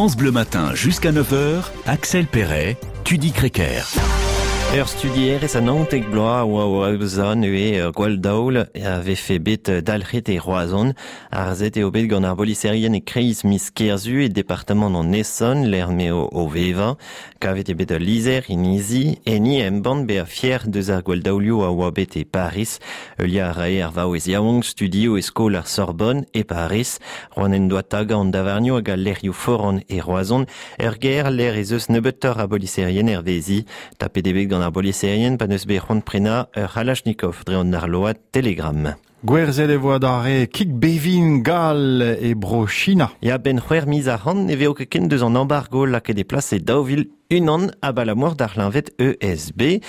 France Bleu Matin jusqu'à 9h, Axel Perret, Tudi Crequer. Ur studierez a 19 bloaz a oa o aozañ neuze ur gwall-daol a vefe bet dalc'het e Roazhon. Harzet eo bet gant ar boliserien e-kreiz miz Kerzu e departamant an Essonne, lec'h m'eo o vevañ. Kavet eo bet ul lizher inizi, enni embann bezañ fier deus ar gwall-daolioù a oa bet e Pariz. Heuliañ a rae ar vaouez yaouank studioù e skol ar Sorbonne e Pariz. C'hoant en doa tagañ an davarnioù hag al lec'hioù foran e Roazhon. Er gêr lec'h ez eus nebeutoc'h a boliserien hervezi. Tapet eo bet gant ar boliserien pa n'eus bet c'hoant prenañ ur C'halachnikov dre an arload Telegram. Gwerzhet e vo adarre kig bevin gall e Bro-China. Ya, benn c'hwec'h miz ac'hann ne vezo ket ken deus an embargo lakaet e plas e 2001 abalamour d'ar c'hleñved ESB.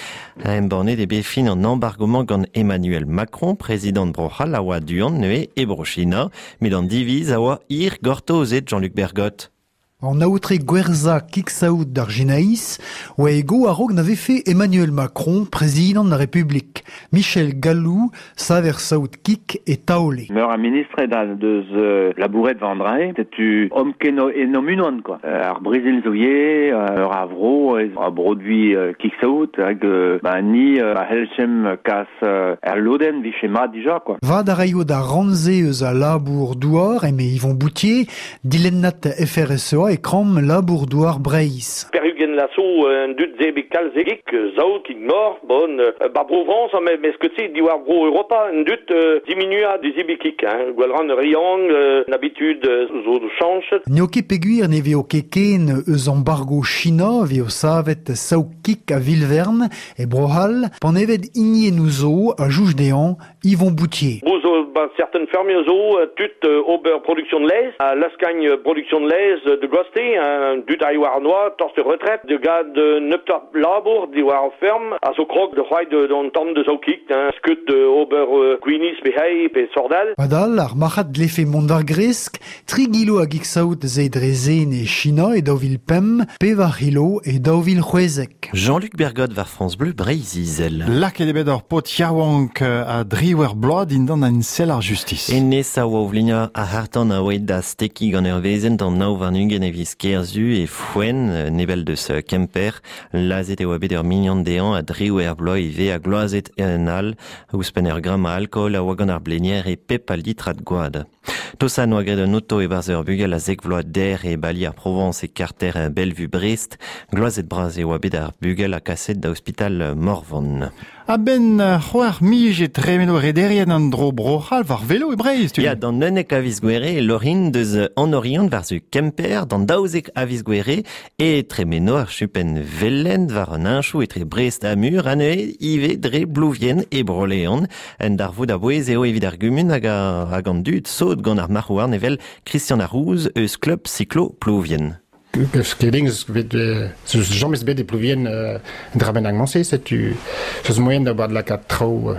Embannet eo bet fin an embargo-mañ gant Emmanuel Macron, prezidant Bro-C'hall a oa du-hont neuze e Bro-China. Met an diviz a oa hir gortozet Jean-Luc Bergot. An aotre gwerzhañ kig-saout d'ar Sinaiz oa e go a-raok na vefe Emmanuel Macron prezidant ar Republik. Michel Gallou, saver saout kig e Taole. Meur a ministred a deus labouret war an dra-se. Setu omp ken en unan quoi. Ar Brezil zo ivez, ur a vro a broduit kig-saout hag ba ni a c'hellchemp kas er lodenn 'vije mat dija quoi. Vad a raio d'ar rann-se eus al labour-douar, eme Yvon Boutier, Dilennad FRSEA e kramm labour-douar Breizh. Perugen laso un dud zebik kalzegik, saout, kig mor, bon, ba Bro-Frañs, mais mais ce que diwar Bro Europa, un dud diminua du zibikik, hein, gwellran riang, un habitude zo chañchet. N'eo ket peogwir ne vezo ket ken eus embargo China vezo savet saout-kig a-vil-vern e Bro-C'hall, panevet hiniennoù zo a jouj dezhañ Yvon Boutier. Bo zo ba certaines fermes zo tud ober production de laezh, a laskagn production de laezh de goste, dud a war noa, torst retraite, de gad nebeutoc'h labour diwar ar ferm, a zo krog de c'hoari d'an tamm deus aokik, skeud ober gwinizh pe hei pe sordal. Padal, ar marc'had dlefe mont war gresk, tri gilo a gig-saout ze dre zen e China e 2005, pevar c'hilo e 2016. Jean-Luc Bergot war France Bleu Breizh-Izel. Lakaet eo bet ur paotr yaouank a driwec'h bloaz dindan un sell ar justis. Hennezh a oa o vleniañ ar c'harr-tan a oa da stekiñ gant ur wezenn d'an 29 e viz Kerzu e Foenn, nebell deus Kemper. Lazhet e oa bet ur mignon dezhañ a driwec'h bloaz ivez ha gloazet un all. Ouzhpenn ur gramm a alkool a oa gant ar blenier e pep a litrad gwad. Tosa 'noa graet un oto e-barzh ur bugel a zek vloaz dec'h e bali ar Provañs e karter Bellevue-Brest. Gloazet bras e oa bet ar bugel ha kaset da ospital Morvan. A-benn c'hwec'h miz e tremeno rederien an dro Bro-C'hall war velo e Breizh. Tu. Ya, d'an 11 a viz Gouere e Lorin deus an Oriant war-zu Kemper, d'an 12 a viz Gouere e tremeno ar chupenn velen war an heñchoù etre Brest ha Mur ha neuze ivez dre Blouvien e Bro-Leon. Un darvoud a-bouez eo evit ar gumun hag, hag an dud sot gant ar marc'h-houarn evel Christian Arrouz eus klub Cyclo Plouvien. Skedings bet zeus james bet e Plouvien dra bennak mañse setu zeus moaien da ober lakaat traoù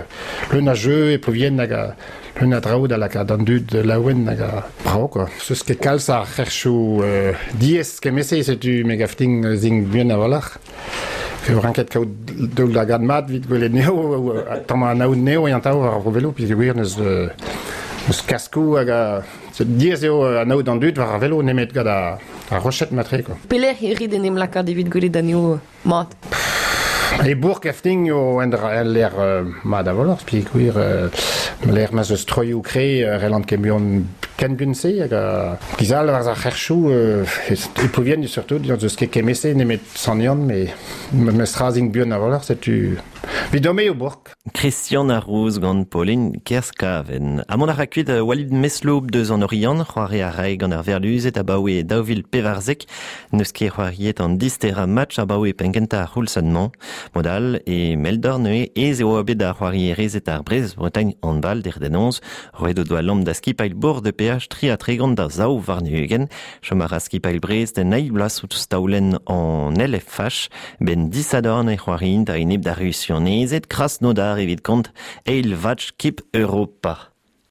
leun a jeu e Plouvien hag leun a draoù da lakaat an dud laouen hag brav quoi. Zeus ket kalz a c'herchoù diaes kement-se setu me gav din zin buan a-walc'h. Eo ranket kaout daoulagad mat evit gwelet anezho, tamm anaout anezho eñ atav war ar velo peogwir n'eus n'eus kaskoù hag diaes eo anaout an dud war ar velo nemet gant ar roched matre quoi. Pelec'h e rit en em lakaat evit gwelet anezho mat? E bourk Efting eo en lec'h mat a-walc'h peogwir lec'h ma'z eus troioù kre relant ket buan ken buan-se hag giz all war ar c'herchoù e Plouvien surtout n'eus ket kement-se nemet Sant-Yann met memestra zin buan a-walc'h setu 'vidon-me eo bourk. Christian Arrouz gant Pauline Kerskaven. Ha mont a ra kuit Walid Mesloub deus an Oriant, c'hoari a rae gant ar Verluzed abaoe 2014. N'eus ket c'hoariet an disterañ match abaoe penn-kentañ ar c'houlzad-mañ. Mod all, e Meldor neuze ez eo bet ar c'hoarierezed ar Brest-Bretagne handball dec'h da noz. Roet o doa lamm da skipailh bord de PH 33 da 22. Chom a ra skipailh Brest en eil bloaz ouzh taolenn an LFH. Ben disadorn e c'hoariint a-enep d'ar Rusianezed Krasnodar evit kont eil match Kip Europa.